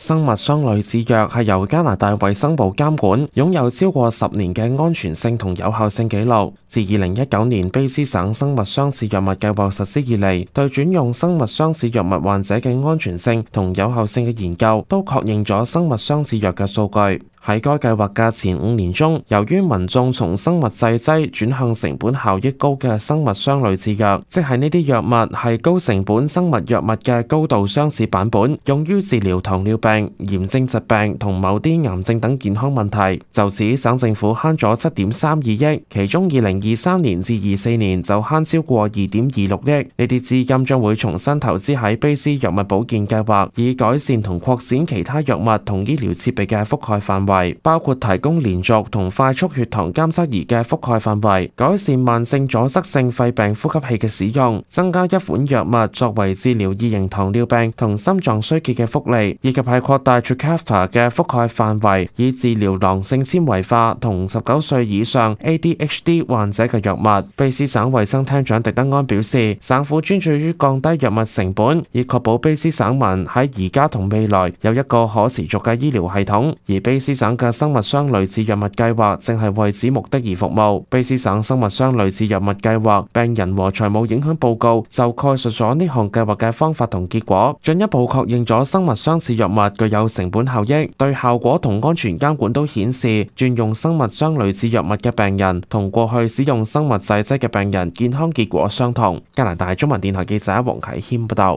生物雙類似藥係由加拿大衛生部監管，擁有超過10年嘅安全性同有效性記錄。自2019年卑詩省生物雙似藥物計劃實施以嚟，對轉用生物雙似藥物患者嘅安全性同有效性嘅研究，都確認咗生物雙似藥嘅數據。喺該計劃嘅前5年中，由於民眾從生物製劑轉向成本效益高嘅生物雙類似藥，即係呢啲藥物係高成本生物藥物嘅高度相似版本，用於治療糖尿病、炎症疾病同某啲癌症等健康問題。就此，省政府慳咗7.32億，其中2023年至24年就慳超過2.26億。呢啲資金將會重新投資喺卑詩藥物保健計劃，以改善同擴展其他藥物同醫療設備嘅覆蓋範圍。包括提供連續同快速血糖監測儀嘅覆蓋範圍，改善慢性阻塞性肺病呼吸器嘅使用，增加一款藥物作為治療二型糖尿病同心臟衰竭嘅福利，以及係擴大 Trikafta 嘅覆蓋範圍，以治療囊性纖維化同19歲以上 ADHD 患者嘅藥物。卑詩省衛生廳長狄德安表示，省府專注於降低藥物成本，以確保卑詩省民喺而家同未來有一個可持續嘅醫療系統，而卑詩省嘅生物雙類似藥物計劃正係為此目的而服務。卑詩省生物雙類似藥物計劃病人和財務影響報告就概述咗呢項計劃嘅方法同結果，進一步確認咗生物雙似藥物具有成本效益，對效果同安全監管都顯示轉用生物雙類似藥物嘅病人同過去使用生物製劑嘅病人健康結果相同。加拿大中文電台記者黃啟謙報道。